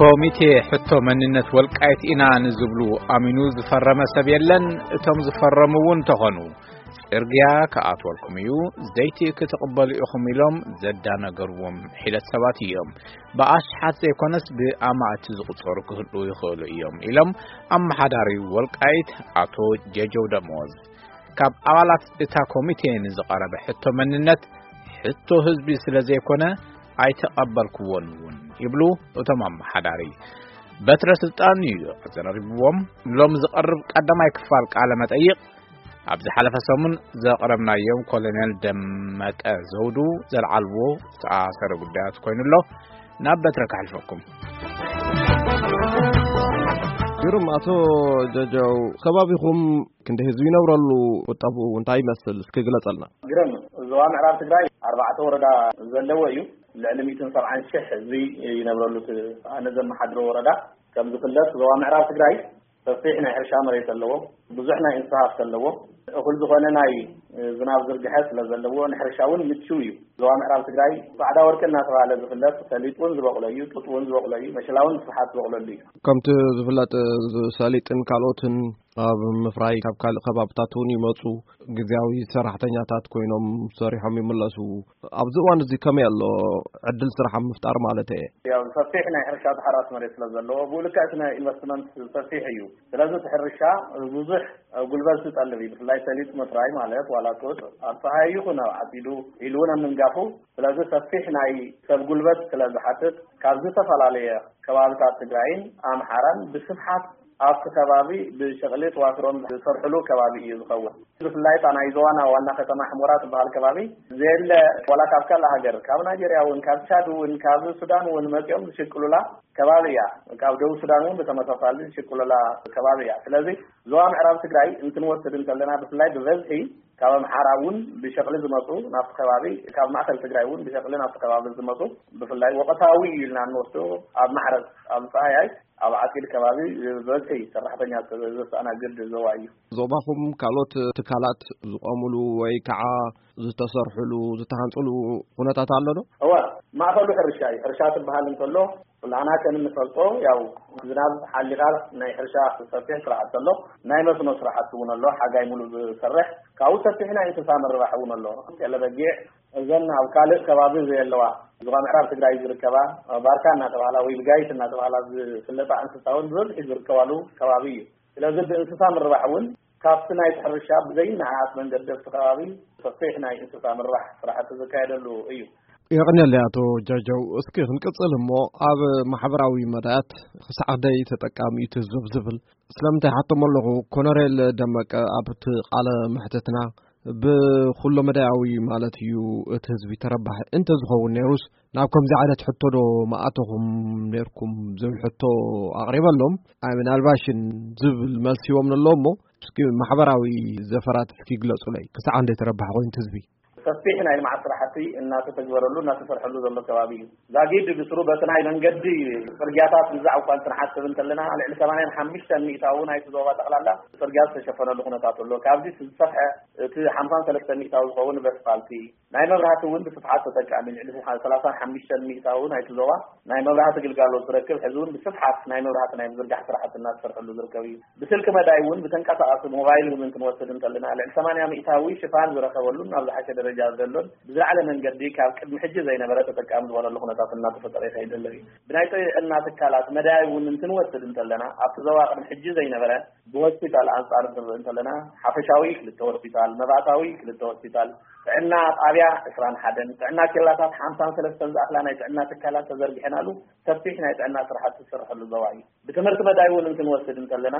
ኮሚቴ ሕቶ መንነት ወልቃይት ኢና ንዝብሉ ኣሚኑ ዝፈረመ ሰብ የለን። እቶም ዝፈረሙ እውን እንተኾኑ፣ ጽርግያ ክኣትወልኩም እዩ፣ ዘይቲ ክትቕበሉ ኢኹም ኢሎም ዘዳነገርዎም ሒደት ሰባት እዮም። ብኣሽሓት ዘይኮነስ ብኣማእቲ ዝቑጸሩ ክህልዉ ይኽእሉ እዮም ኢሎም ኣመሓዳሪ ወልቃይት ኣቶ ጀጀው ደሞዝ። ካብ ኣባላት እታ ኮሚቴ ንዝቐረበ ሕቶ መንነት፣ ሕቶ ህዝቢ ስለ ዘይኮነ ኣይተቐበልክዎን እውን ይብሉ እቶም ኣመሓዳሪ። በትረ ስልጣን እዩ ኣዘራሪብዎም። ሎም ዝቐርብ ቀዳማይ ክፋል ቃለ መጠይቕ፣ ኣብ ዝሓለፈ ሰሙን ዘቕረብናዮም ኮሎኔል ደመቀ ዘውዱ ዘልዓልዎ ዝተኣሰረ ጉዳያት ኮይኑ ኣሎ። ናብ በትረ ከሕልፈኩም። ግሩም። ኣቶ ጀጀው፣ ከባቢኹም ክንደይ ህዝቢ ይነብረሉ? ቁጠብኡ እንታይ ይመስል? እስኪ ግለጸልና። ግርም፣ ዞባ ምዕራብ ትግራይ ኣርባዕተ ወረዳ ዘለዎ እዩ። ልዕሊ ሚእትን ሰብዓን ሺሕ ህዝቢ ይነብረሉ። እቲ ኣነ ዘመሓድሮ ወረዳ፣ ከም ዝፍለጥ፣ ዞባ ምዕራብ ትግራይ ሰፊሕ ናይ ሕርሻ መሬት ኣለዎ። ብዙሕ ናይ እንስሳ ሃፍቲ ኣለዎ። እኹል ዝኾነ ናይ ዝናብ ዝርግሐ ስለ ዘለዎ፣ ንሕርሻ እውን ምቹው እዩ። ዞባ ምዕራብ ትግራይ ጻዕዳ ወርቂ እናተባህለ ዝፍለጥ ሰሊጥ እውን ዝበቕሎ እዩ፣ ጡጥ እውን ዝበቕሎ እዩ፣ መሸላ እውን ብስፍሓት ዝበቕለሉ እዩ። ከምቲ ዝፍለጥ፣ ሰሊጥን ካልኦትን ኣብ ምፍራይ ካብ ካልእ ከባብታት እውን ይመጹ። ግዜያዊ ሰራሕተኛታት ኮይኖም ሰሪሖም ይምለሱ። ኣብዚ እዋን እዚ ከመይ ኣሎ ዕድል ስራሕ ኣብ ምፍጣር ማለት እየ? ያው ሰፊሕ ናይ ሕርሻ ተሓራሲ መሬት ስለ ዘለዎ፣ ብኡ ልክዕ እቲ ናይ ኢንቨስትመንት ሰፊሕ እዩ። ስለዚ እቲ ሕርሻ ብዙሕ ጉልበት ዝጠልብ እዩ። ብፍላይ ሰሊጥ ምፍራይ ማለት ዋላ ጡጥ ኣብ ጸሃይ ይኹን ኣብ ዓጺዱ ኢሉ እውን ኣብ ምንጋፉ፣ ስለዚ ሰፊሕ ናይ ሰብ ጉልበት ስለ ዝሓትት፣ ካብ ዝተፈላለየ ከባብታት ትግራይን ኣምሓራን ብስፍሓት ኣብቲ ከባቢ ብሸቕሊ ተዋስሮም ዝሰርሕሉ ከባቢ እዩ ዝኸውን። ብፍላይ እታ ናይ ዞባና ዋና ከተማ ሕሞራ ትበሃል ከባቢ ዘየለ፣ ዋላ ካብ ካልእ ሃገር፣ ካብ ናይጄርያ እውን፣ ካብ ቻድ እውን፣ ካብ ሱዳን እውን መፂኦም ዝሽቅሉላ ከባቢ እያ። ካብ ደቡብ ሱዳን እውን ብተመሳሳሊ ዝሽቅሉላ ከባቢ እያ። ስለዚ ዞባ ምዕራብ ትግራይ እንትንወስድ እንተለና፣ ብፍላይ ብበዝሒ ካብ ኣምሓራ እውን ብሸቕሊ ዝመፁ ናብቲ ከባቢ፣ ካብ ማእከል ትግራይ እውን ብሸቕሊ ናብቲ ከባቢ ዝመፁ፣ ብፍላይ ወቕታዊ እዩ ኢልና እንወስዶ፣ ኣብ ማሕረስ፣ ኣብ ፃህያይ፣ ኣብ ዓፂድ ከባቢ ብበዝሒ ሰራሕተኛ ዘስተኣናግድ ዞባ እዩ። ዞባኹም ካልኦት ትካላት ዝቆሙሉ ወይ ከዓ ዝተሰርሑሉ፣ ዝተሃንፅሉ ኩነታት ኣሎ ዶ? እወ፣ ማእኸሉ ሕርሻ እዩ። ሕርሻ ትበሃል እንተሎ፣ ኩላና ከም እንፈልጦ፣ ያው ዝናብ ሓሊኻ ናይ ሕርሻ ሰፊሕ ስራሕቲ ኣሎ። ናይ መስኖ ስራሕቲ እውን ኣሎ፣ ሓጋይ ሙሉእ ዝሰርሕ። ካብኡ ሰፊሕ ናይ እንስሳ ምርባሕ እውን ኣሎ። ጤለ በጊዕ፣ እዘን ኣብ ካልእ ከባቢ ዘየለዋ፣ ዞባ ምዕራብ ትግራይ ዝርከባ፣ ባርካ እናተባህላ ወይ ብጋይት እናተባህላ ዝፍለጣ እንስሳ እውን ብብዝሒ ዝርከባሉ ከባቢ እዩ። ስለዚ ብእንስሳ ምርባሕ እውን ካብቲ ናይ ሕርሻ ብዘይነዓቕ መንገዲ ኣብቲ ከባቢ ሰፊሕ ናይ እንስሳ ምርባሕ ስራሕቲ ዝካየደሉ እዩ። የቐንየለይ ኣቶ ጃጃው። እስኪ ክንቅጽል እሞ፣ ኣብ ማሕበራዊ መዳያት ክሳዕ ክንደይ ተጠቃሚ እዩ እቲ ህዝብ ዝብል ስለምንታይ ሓቶም ኣለኹ። ኮነሬል ደመቀ ኣብቲ ቃለ መሕትትና ብኩሎ መዳያዊ ማለት እዩ እቲ ህዝቢ ተረባሒ እንተዝኸውን ነይሩስ ናብ ከምዚ ዓይነት ሕቶ ዶ ምኣተኹም ነይርኩም ዝብል ሕቶ ኣቕሪበሎም። ኣይ ምናልባሽን ዝብል መልሲ ሂቦም ኣሎ እሞ እስኪ ማሕበራዊ ዘፈራት እስኪ ግለጹለይ። ክሳዕ ክንደይ ተረባሒ ኮይኑ እቲ ህዝቢ? ሰፊሕ ናይ ልምዓት ስራሕቲ እናተተግበረሉ እናተሰርሐሉ ዘሎ ከባቢ እዩ። ዛጊድ ብስሩ በቲ ናይ መንገዲ ጽርግያታት ምዛዕ እኳ እንትንሓስብ እንተለና፣ ልዕሊ ሰማንያን ሓሙሽተን ሚእታዊ ናይቲ ዞባ ጠቕላላ ጽርግያ ዝተሸፈነሉ ኩነታት ኣሎ። ካብዚ ዝሰፍሐ እቲ ሓምሳን ሰለስተን ሚእታዊ ዝኸውን በስፋልቲ፣ ናይ መብራህቲ እውን ብስፍሓት ተጠቃሚ፣ ልዕሊ ሰላሳን ሓሙሽተን ሚእታዊ ናይቲ ዞባ ናይ መብራህቲ ግልጋሎት ዝረክብ፣ ሕዚ እውን ብስፍሓት ናይ መብራህቲ ናይ ምዝርጋሕ ስራሕቲ እናተሰርሐሉ ዝርከብ እዩ። ብስልኪ መዳይ እውን ብተንቀሳቓሲ ሞባይል እውን እንትንወስድ እንተለና፣ ልዕሊ ሰማንያ ሚእታዊ ሽፋን ዝረኸበሉን ኣብ ዝሓሸ ደረጃ ዘሎን ብዝለዓለ መንገዲ ካብ ቅድሚ ሕጂ ዘይነበረ ተጠቃሚ ዝኾነሉ ኩነታት እናተፈጠረ ይኸይድ ዘሎ እዩ። ብናይ ጥዕና ትካላት መዳይ እውን እንትንወስድ እንተለና፣ ኣብቲ ዞባ ቅድሚ ሕጂ ዘይነበረ ብሆስፒታል ኣንጻር እንትንርኢ እንተለና፣ ሓፈሻዊ ክልተ ሆስፒታል፣ መባእታዊ ክልተ ሆስፒታል፣ ጥዕና ጣብያ ዕስራን ሓደን፣ ጥዕና ኬላታት ሓምሳን ሰለስተን ዝኣኽላ ናይ ጥዕና ትካላት ተዘርጊሐናሉ ሰፊሕ ናይ ጥዕና ስራሕቲ ዝስርሐሉ ዞባ እዩ። ብትምህርቲ መዳይ እውን እንትንወስድ እንተለና፣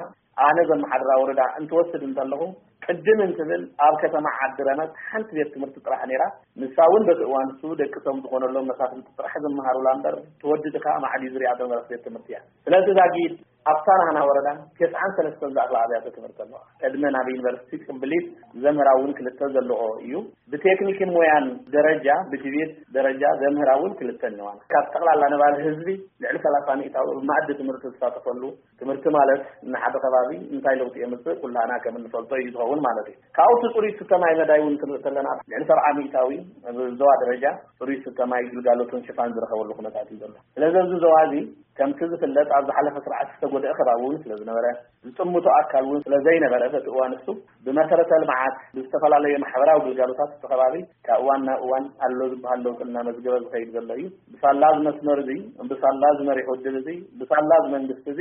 ኣነ ዘመሓድራ ወረዳ እንትወስድ እንተለኹ፣ ቅድም እንትብል ኣብ ከተማ ዓዲ ረመት ሓንቲ ቤት ትምህርቲ ጥራሕ ነይራ። ንሳ እውን በቲ እዋን እሱ ደቂ ቶም ዝኾነሎም መሳፍንቲ ጥራሕ ዝመሃሩላ እምበር፣ ተወዲ ድኻ ማዕዲ ዝሪኣ ዝነበረት ቤት ትምህርቲ እያ። ስለዚ ዛጊድ ኣብታ ናህና ወረዳ ተስዓን ሰለስተን ዝኣኽላ ኣብያተ ትምህርቲ ኣለዋ። ቅድመ ናብ ዩኒቨርሲቲ ቅብሊት ዘምህራ እውን ክልተ ዘለዎ እዩ። ብቴክኒክን ሞያን ደረጃ፣ ብቲቤት ደረጃ ዘምህራ እውን ክልተ እነዋን። ካብ ጠቕላላ ነባሪ ህዝቢ ልዕሊ ሰላሳ ሚእታዊ ኣብ መኣዲ ትምህርቲ ዝሳተፈሉ፣ ትምህርቲ ማለት ንሓደ ከባቢ እንታይ ለውጢ የምጽእ ኩላና ከም እንፈልጦ እዩ ዝኸውን ማለት እዩ። ኣብኡ እቲ ጽሩይ ዝስተ ማይ መዳይ እውን ክንርኢ ከለና፣ ልዕሊ ሰብዓ ሚእታዊ ኣብ ዞባ ደረጃ ጽሩይ ዝስተ ማይ ግልጋሎትን ሽፋን ዝረኸበሉ ኩነታት እዩ ዘሎ። ስለዚ ኣብዚ ዞባ እዚ ከምቲ ዝፍለጥ ኣብ ዝሓለፈ ስርዓት ዝተጎድአ ከባቢ እውን ስለ ዝነበረ፣ ዝጥምቶ ኣካል እውን ስለ ዘይነበረ፣ በቲ እዋን እሱ ብመሰረተ ልምዓት፣ ብዝተፈላለየ ማሕበራዊ ግልጋሎታት እቲ ከባቢ ካብ እዋን ናብ እዋን ኣሎ ዝበሃል ለውጢ እናመዝገበ ዝኸይድ ዘሎ እዩ። ብሳላ እዚ መስመር እዚ፣ ብሳላ እዚ መሪሕ ውድብ እዚ፣ ብሳላ እዚ መንግስቲ እዚ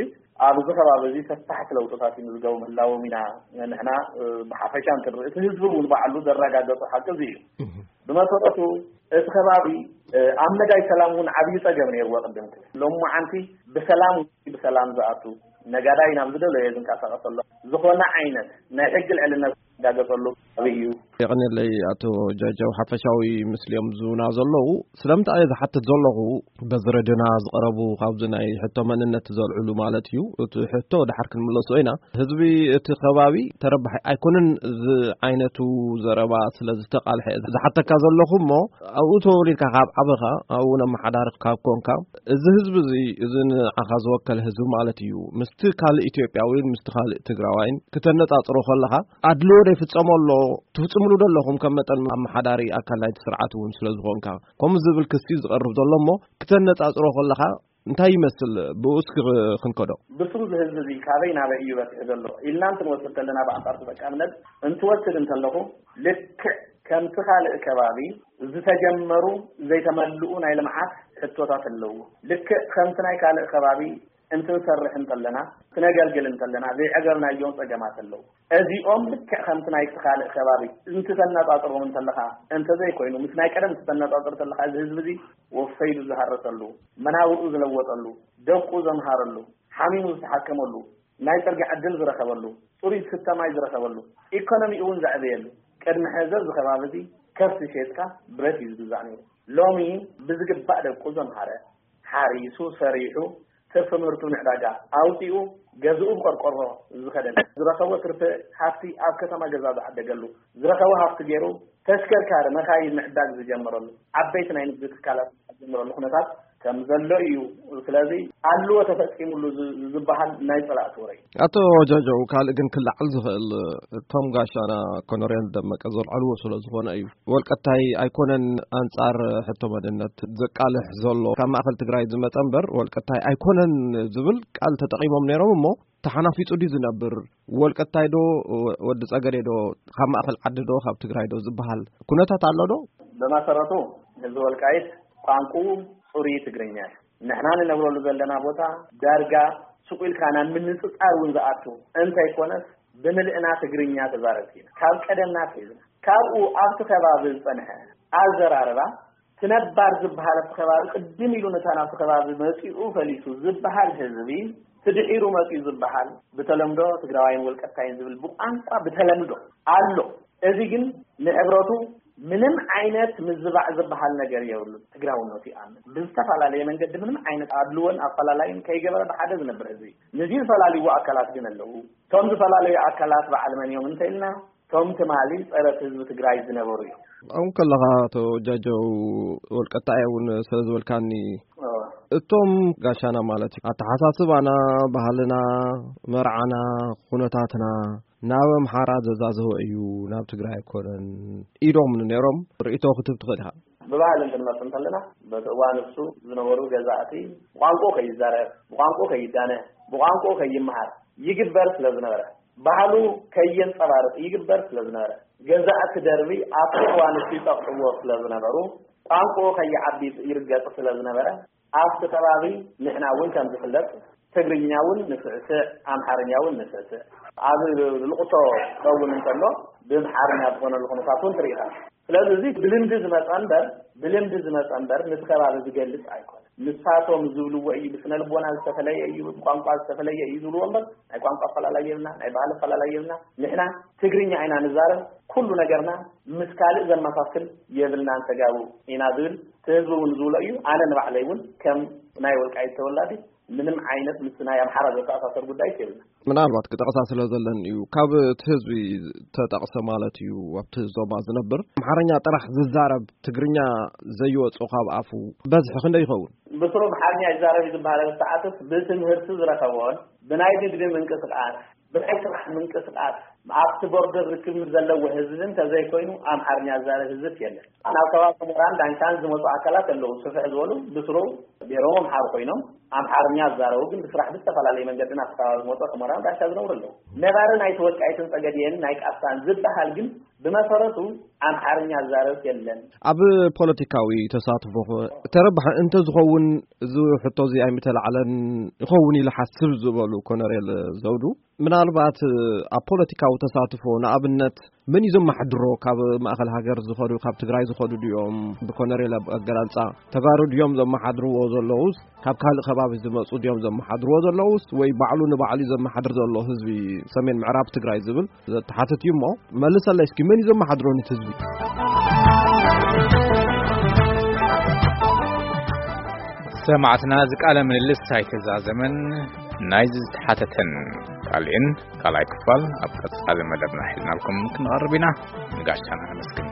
ኣብዚ ከባቢ እዚ ሰፋሕቲ ለውጥታት ይምዝገቡ ምህላዎም ኢና ንሕና፣ እ፣ ብሓፈሻ እንትንርኢ፣ እቲ ህዝቢ እውን ባዕሉ ዘረጋገጾ ሓቂ እዚ እዩ። ብመሰረቱ እቲ ከባቢ፣ እ፣ ኣብ መዳይ ሰላም እውን ዓብዪ ጸገም ነይርዎ ቅድም ክብል። ሎማዓንቲ ብሰላም፣ ብሰላም ዝኣቱ፣ ነጋዳይ ናብ ዝደለዮ ዝንቀሳቐሰሉ፣ ዝኾነ ዓይነት ናይ ሕጊ ልዕልነት ዝረጋገጸሉ ከባቢ እዩ። የቐንየለይ ኣቶ ጃጃው፣ ሓፈሻዊ ምስሊኦም ዝህቡና ዘለዉ። ስለምንታይ እየ ዝሓትት ዘለኹ፣ በዚ ረድዮና ዝቐረቡ ካብዚ ናይ ሕቶ መንነት ዘልዕሉ ማለት እዩ። እቲ ሕቶ ድሓር ክንምለሶ ኢና። ህዝቢ እቲ ከባቢ ተረባሒ ኣይኮነን እዚ ዓይነቱ ዘረባ ስለ ዝተቓልሐ ዝሓተካ ዘለኹ እሞ፣ ኣብኡ ተወሊድካ ካብ ዓበኻ፣ ኣብኡ ነመሓዳሪ ካብ ኮንካ፣ እዚ ህዝቢ እዚ፣ እዚ ንዓኻ ዝወከለ ህዝቢ ማለት እዩ፣ ምስቲ ካልእ ኢትዮጵያዊን ምስቲ ካልእ ትግራዋይን ክተነጻጽሮ ከለኻ፣ ኣድልዎ ዶ ይፍጸሞ ኣሎ? ትፍጽምሉ ዶ ኣለኹም? ከም መጠን ኣመሓዳሪ ኣካል ናይቲ ስርዓት እውን ስለ ዝኾንካ፣ ከምኡ ዝብል ክሲ ዝቐርብ ዘሎ እሞ፣ ክተነጻጽሮ ከለኻ እንታይ ይመስል? ብኡ እስኪ ክንከዶ። ብስሩ እዚ ህዝቢ እዚ ካበይ ናበይ እዩ በጺሑ ዘሎ ኢልና እንትንወስድ ከለና፣ ብኣንጻር ተጠቃምነት እንትወስድ እንተለኹ፣ ልክዕ ከምቲ ካልእ ከባቢ ዝተጀመሩ ዘይተመልኡ ናይ ልምዓት ሕቶታት ኣለዉ። ልክዕ ከምቲ ናይ ካልእ ከባቢ እንትንሰርሕ እንተለና፣ ክነገልግል እንተለና፣ ዘይዐገብናዮም ጸገማት ኣለዉ። እዚኦም ልክዕ ከምቲ ናይቲ ካልእ ከባቢ እንትተነጻጽሮም እንተለኻ፣ እንተዘይኮይኑ፣ ምስ ናይ ቀደም እንትተነጻጽር እንተለኻ፣ እዚ ህዝቢ እዚ ወፈይሉ ዝሃረሰሉ፣ መናብርኡ ዝለወጠሉ፣ ደቁ ዘምሃረሉ፣ ሓሚሙ ዝተሓከመሉ፣ ናይ ጽርግያ ዕድል ዝረኸበሉ፣ ጽሩይ ዝስተ ማይ ዝረኸበሉ፣ ኢኮኖሚኡ እውን ዘዕበየሉ፣ ቅድሚ ሕዚ እዚ ከባቢ እዚ ከብቲ ሸይጥካ ብረት እዩ ዝግዛእ ነይሩ። ሎሚ ብዝግባእ ደቁ ዘምሃረ፣ ሓሪሱ፣ ሰሪሑ፣ ትርፊ ምህርቱ ንዕዳጋ ኣውፂኡ፣ ገዝኡ ብቆርቆሮ ዝኸደነ፣ ዝረኸቦ ትርፊ ሃፍቲ ኣብ ከተማ ገዛ ዝዓደገሉ፣ ዝረኸቦ ሃፍቲ ገይሩ ተሽከርካሪ፣ መኻይን ምዕዳግ ዝጀመረሉ፣ ዓበይቲ ናይ ንግዲ ትካላት ዝጀመረሉ ኩነታት ከም ዘሎ እዩ። ስለዚ ኣለዎ ተፈፂሙሉ ዝ-፣ ዝበሃል ናይ ፀላእቲ ወረ እዩ። ኣቶ ጆጆ፣ ካልእ ግን ክለዓል ዝኽእል፣ እቶም ጋሻና ኮሎኔል ደመቀ ዘልዓልዎ ስለ ዝኾነ እዩ። ወልቀታይ ኣይኮነን ኣንጻር ሕቶ መንነት ዘቃልሕ ዘሎ፣ ካብ ማእከል ትግራይ ዝመጸ እምበር ወልቀታይ ኣይኮነን ዝብል ቃል ተጠቒሞም ነይሮም እሞ፣ ተሓናፊጹ ድዩ ዝነብር? ወልቀታይ ዶ፣ ወዲ ጸገዴ ዶ፣ ካብ ማእከል ዓዲ ዶ፣ ካብ ትግራይ ዶ ዝበሃል ኩነታት ኣሎ ዶ? ብመሰረቱ ህዝቢ ወልቃይት ቋንቋኡ ጽሩይ ትግርኛ እዩ። ንሕና ንነብረሉ ዘለና ቦታ ዳርጋ ሱቕ ኢልካ ናብ ምንጽጻር እውን ዝኣቱ እንተይኮነስ፣ ብምልእና ትግርኛ ተዛረብቲ ኢና። ካብ ቀደምና ኣትሒዝና ካብኡ ኣብቲ ከባቢ ዝጸንሐ ኣዘራርባ፣ እቲ ነባር ዝበሃል ኣብቲ ከባቢ ቅድም ኢሉ ነታ ናብቲ ከባቢ መጺኡ ፈሊሱ ዝበሃል ህዝቢ፣ እቲ ድሒሩ መጺኡ ዝበሃል ብተለምዶ ትግራዋይን ወልቀታይን ዝብል ብቋንቋ ብተለምዶ ኣሎ። እዚ ግን ንሕብረቱ ምንም ዓይነት ምዝባዕ ዝበሃል ነገር የብሉን። ትግራውነቱ ይኣምን። ብዝተፈላለየ መንገዲ ምንም ዓይነት ኣድልዎን ኣፈላላይን ከይገበረ ብሓደ ዝነብር ህዝቢ እዩ። ንዚ ዝፈላልይዎ ኣካላት ግን ኣለዉ። እቶም ዝፈላለዩ ኣካላት በዓል መን እዮም እንተኢልና፣ እቶም ትማሊ ጸረ ህዝቢ ትግራይ ዝነበሩ እዮም። ኣብኡ ከለኻ፣ ኣቶ ጃጀው፣ ወልቀታይ እውን ስለ ዝበልካኒ፣ እዎ። እቶም ጋሻና ማለት እዩ፣ ኣተሓሳስባና፣ ባህልና፣ መርዓና፣ ኩነታትና ናብ ኣምሓራ ዘዛዝሆ እዩ፣ ናብ ትግራይ ኣይኮነን ኢዶም ነይሮም። ርእይቶ ክትህብ ትኽእል ኢኻ። ብባህሊ እንትንመጽእ እንተለና፣ በቲ እዋን እሱ ዝነበሩ ገዛእቲ ብቋንቋ ከይዛረብ፣ ብቋንቋ ከይዳነ፣ ብቋንቋ ከይመሃር ይግበር ስለ ዝነበረ፣ ባህሉ ከየንጸባርቕ ይግበር ስለ ዝነበረ፣ ገዛእቲ ደርቢ ኣብቲ እዋን እሱ ይጠቕዕዎ ስለ ዝነበሩ፣ ቋንቋ ከይዓቢ ይርገጽ ስለ ዝነበረ፣ ኣብቲ ከባቢ ንሕና እውን ከም ዝፍለጥ ትግርኛ እውን ንስዕስዕ፣ ኣምሓርኛ እውን ንስዕስዕ። ኣብ ልቕሶ ክኸውን እንተሎ ብኣምሓርኛ ዝኾነሉ ኩነታት እውን ትርኢ ኢኻ። ስለዚ እዚ ብልምዲ ዝመጸ እምበር፣ ብልምዲ ዝመጸ እምበር፣ ነቲ ከባቢ ዝገልጽ ኣይኮነን። ንሳቶም ዝብልዎ እዩ፣ ብስነ ልቦና ዝተፈለየ እዩ፣ ብቋንቋ ዝተፈለየ እዩ ዝብልዎ እምበር፣ ናይ ቋንቋ ኣፈላላይ የብልና፣ ናይ ባህሊ ኣፈላላይ የብልና። ንሕና ትግርኛ ኢና ንዛረብ፣ ኩሉ ነገርና ምስ ካልእ ዘመሳስል የብልናን፣ ተጋሩ ኢና ዝብል እቲ ህዝቢ እውን ዝብሎ እዩ። ኣነ ንባዕለይ እውን ከም ናይ ወልቃይት ተወላዲ ምንም ዓይነት ምስ ናይ ኣምሓራ ዘተኣሳሰር ጉዳይ የብልና። ምናልባት ክጠቕሳ ስለ ዘለን እዩ። ካብ እቲ ህዝቢ ተጠቕሰ ማለት እዩ፣ ኣብቲ ዞባ ዝነብር ኣምሓርኛ ጥራሕ ዝዛረብ፣ ትግርኛ ዘይወጾ ካብ ኣፉ በዝሒ ክንደይ ይኸውን? ብስሩ ኣምሓርኛ ይዛረብ እዩ ዝበሃል ሰዓትስ ብትምህርቲ ዝረኸቦን ብናይ ንግዲ ምንቅስቃስ ብናይ ስራሕ ምንቅስቃስ ኣብቲ ቦርደር ርክብ ዘለዎ ህዝቢ እንተዘይኮይኑ ኣምሓርኛ ዝዛረብ ህዝብስ የለን። ናብ ከባቢ ሰመራን ዳንሻን ዝመፁ ኣካላት ኣለዉ። ስፍሕ ዝበሉ ብስሩ ብሄሮም ኣምሓሩ ኮይኖም ኣምሓርኛ ዝዛረቡ ግን ብስራሕ ብዝተፈላለየ መንገዲ ናብቲ ከባቢ ዝመፁ ሰመራን ዳንሻ ዝነብሩ ኣለዉ። ነባሪ ናይቲ ወልቃይትን ጸገዴን ናይ ቃፍታን ዝበሃል ግን ብመሰረቱ ኣምሓርኛ ዝዛረብ የለን። ኣብ ፖለቲካዊ ተሳትፎ ተረባሒ እንተዝኸውን እዚ ሕቶ እዚ ኣይምተላዕለን ይኸውን ኢለ ሓስብ ዝበሉ ኮነሬል ዘውዱ፣ ምናልባት ኣብ ፖለቲካዊ ተሳትፎ ንኣብነት መን እዩ ዘመሓድሮ? ካብ ማእኸል ሃገር ዝኸዱ፣ ካብ ትግራይ ዝኸዱ ድዮም? ብኮነሬል ኣገላልፃ ተጋሩ ድዮም ዘመሓድርዎ ዘለውስ ካብ ካልእ ከባቢ ዝመፁ ድዮም ዘመሓድርዎ ዘለውስ ወይ ባዕሉ ንባዕሉ እዩ ዘመሓድር ዘሎ ህዝቢ ሰሜን ምዕራብ ትግራይ ዝብል ዘተሓትት እዩ። እሞ መልሰለይ እስኪ፣ መን እዩ ዘመሓድሮ ነቲ ህዝቢ? ሰማዕትና፣ እዚ ቃለ ምልልስ ኣይተዛዘመን። ናይዚ ዝተሓተተን ካልእን ካልኣይ ክፋል ኣብ ቀጻሊ መደብና ሒዝናልኩም ክንቐርብ ኢና። ንጋሻና ነመስግን።